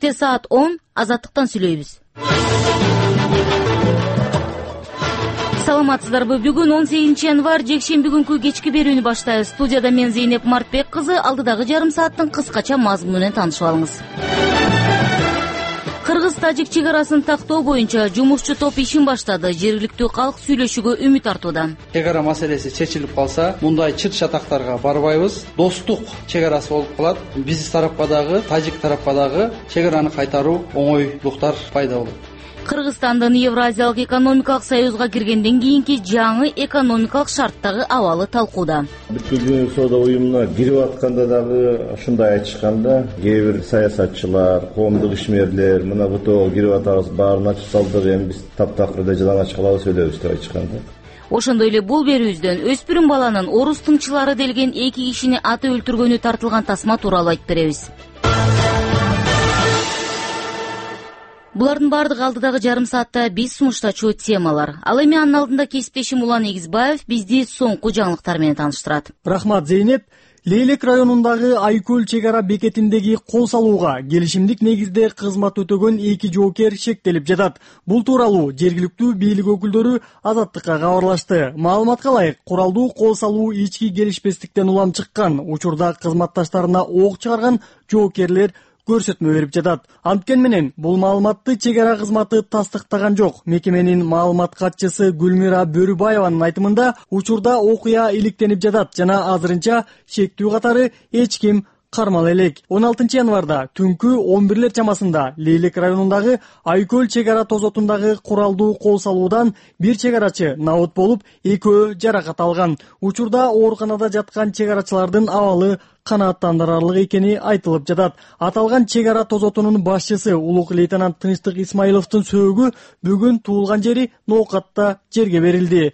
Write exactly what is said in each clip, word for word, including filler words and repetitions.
кечте саат он Азаттыктан сүйлөйбүз. Саламатсыздарбы? Бүгүн он сегизинчи январь жекшемби күнкү кечки берүүнү баштайбыз. Студияда мен Зейнеп Мартбек кызы. Алдыдагы жарым сааттын кыскача мазмуну менен таанышып алыңыз. Кыргыз-тажик чек арасын тактоо боюнча жумушчу топ ишин баштады. Жергиликтүү калк сүйлөшүүгө үмүт артууда. Чек ара маселеси чечилип калса, мындай чыр чатактарга барбайбыз. Достук чек арасы болуп калат. Биз тарапка дагы, тажик тарапка дагы чек араны кайтаруу оңойлуктар пайда болот. Кыргызстандын Евразиялык экономикалык союзга киргенден кийинки жаңы экономикалык шарттагы абалы талкууда. Бүткүл дүйнөлүк соода уюмуна кирип атканда дагы ушундай айтышканда, кээ бир саясатчылар, коомдук ишмерлер мына бутоо кирип атабыз, баарын ачып салдык, эми биз таптакырда жалаңач калабыз өйдөбүз деп айтышканда. Ошондой эле бул берүүбүздөн өспүрүм баланын орус тыңчылары делген эки кишини аты өлтүргөнү тартылган тасма тууралуу айтып беребиз. Булардын бардыгы алдыдагы жарым саатта биз сунуштачу темалар. Ал эми анын алдында кесиптешим Улан Эгизбаев бизди соңку жаңылыктар менен тааныштырат. Рахмат, Зейнеп. Лейлек районундагы Айкөл чек ара бекетиндеги кол салууга келишимдик негизде кызмат өтөгөн эки жоокер шектелип жатат. Бул тууралуу жергиликтүү бийлик өкүлдөрү Азаттыкка кабарлашты. Маалыматка ылайык, куралдуу кол салуу ички келишпестиктен улам чыккан. Учурда кызматташтарына ок чыгарган жоокерлер көрсөтмө берип жатат. Анткени менен бул маалыматты чек ара кызматы тастыктаган жок. Мекеменин маалымат катчысы Гүлмира Бөрүбаеванын айтымында учурда окуя иликтенип жатат жана азырынча шектүү катары эч ким кармала элек. он алтынчы январда түнкү он бирлер чамасында Лейлек районундагы Айкөл чек ара тозотундагы куралдуу кол салуудан бир чек арачы набыт болуп, экөө жаракат алган. Учурда ооруканада жаткан чек арачылардын абалы канааттандырарлык экени айтылып жатат. Аталган чек ара тозотунун башчысы улук лейтенант Тынчтык Исмаиловдун сөөгү бүгүн туулган жери Ноокатта жерге берилди.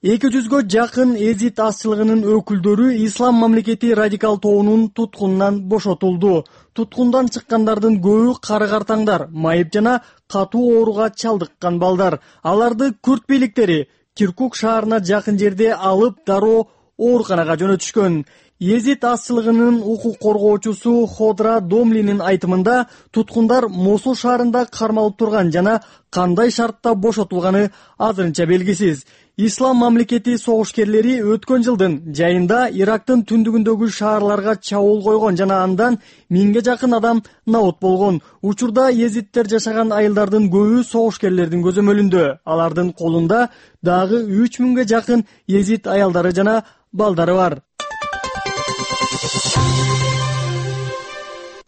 эки жүзгө жакын эзит азчылыгынын өкүлдөрү Ислам мамлекети радикал тобунун туткунунан бошотулду. Туткундан чыккандардын көбү кары-картаңдар, майып жана катуу ооруга чалдыккан балдар. Аларды күрт бийликтери Киркук шаарына жакын жерде алып дароо ооруканага жөнөтүшкөн. Езит азчылыгынын укук коргоочусу Ходра Домлинин айтымында туткундар Мосул шаарында кармалып турган жана кандай шартта бошотулганы азырынча белгисиз. Ислам мамлекети согушкерлери өткөн жылдын жайында Ирактын түндүгүндөгү шаарларга чабуул койгон жана андан миңге жакын адам набыт болгон. Учурда езиттер жашаган айылдардын көбү согушкерлердин көзөмөлүндө. Алардын колунда дагы үч миңге жакын езит аялдары жана балдары бар.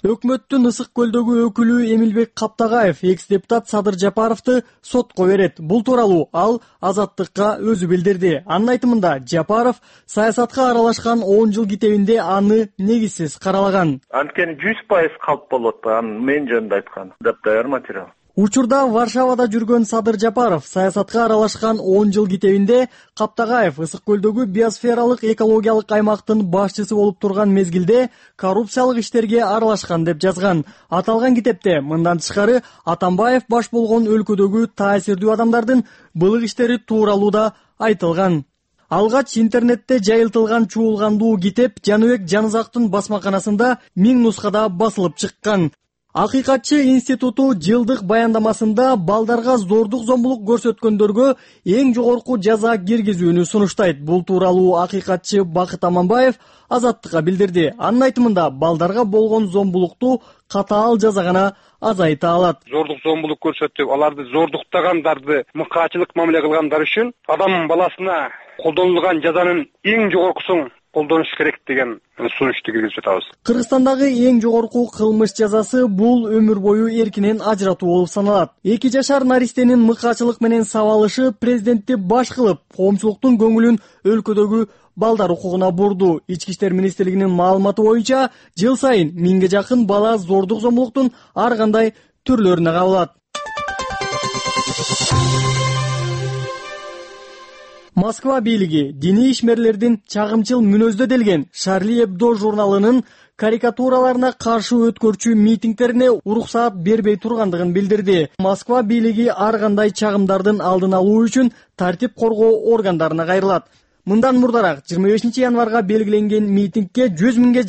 Өкмөттүн Ысык көлдөгү өкүлү Эмилбек Каптагаев экс-депутат Садыр Жапаровду сотко берет. Бул тууралуу ал Азаттыкка өзү билдирди. Анын айтымында Жапаров саясатка аралашкан он жыл китебинде аны негизсиз каралаган. Анткени жүз пайыз калп болот, анын мен жөнүндө айткан даяр материал. Учурда Варшавада жүргөн Садыр Жапаров саясатка аралашкан он жыл китебинде Каптагаев Ысык көлдөгү биосфералык экологиялык аймактын башчысы болуп турган мезгилде коррупциялык иштерге аралашкан деп жазган. Аталган китепте мындан тышкары Атамбаев баш болгон өлкөдөгү таасирдүү адамдардын былык иштери тууралуу да айтылган. Алгач интернетте жайылтылган чуулгандуу китеп Жаныбек Жанызактын басмаканасында миң нускада басылып чыккан. Акыйкатчы институту жылдык баяндамасында балдарга зордук зомбулук көрсөткөндөргө эң жогорку жаза киргизүүнү сунуштайт. Бул тууралуу акыйкатчы Бакыт Аманбаев Азаттыкка билдирди. Анын айтымында балдарга болгон зомбулукту катаал жаза гана азайта алат. Зордук зомбулук көрсөтүп, аларды зордуктагандарды мыкаачылык мамиле кылгандар үчүн адам баласына колдонулган жазанын эң жогоркусун колдонуш керек деген сунушту киргизип жатабыз. Кыргызстандагы эң жогорку кылмыш жазасы бул өмүр бою эркинен ажыратуу болуп саналат. Эки жашар наристенин мыкаачылык менен сабалышы президентти баш кылып, коомчулуктун көңүлүн өлкөдөгү балдар укугуна бурду. Ички иштер министрлигинин маалыматы боюнча жыл сайын миңге жакын бала зордук зомбулуктун ар кандай түрлөрүнө кабылат. Москва бийлиги диний ишмерлердин чагымчыл мүнөздө делген Шарли Эбдо журналынын карикатураларына каршы өткөрчү митингдерине уруксаат бербей тургандыгын билдирди. Москва бийлиги ар кандай чагымдардын алдын алуу үчүн тартип коргоо органдарына кайрылат. Мындан мурдараак жыйырма бешинчи январга белгиленген митингге жүз миңге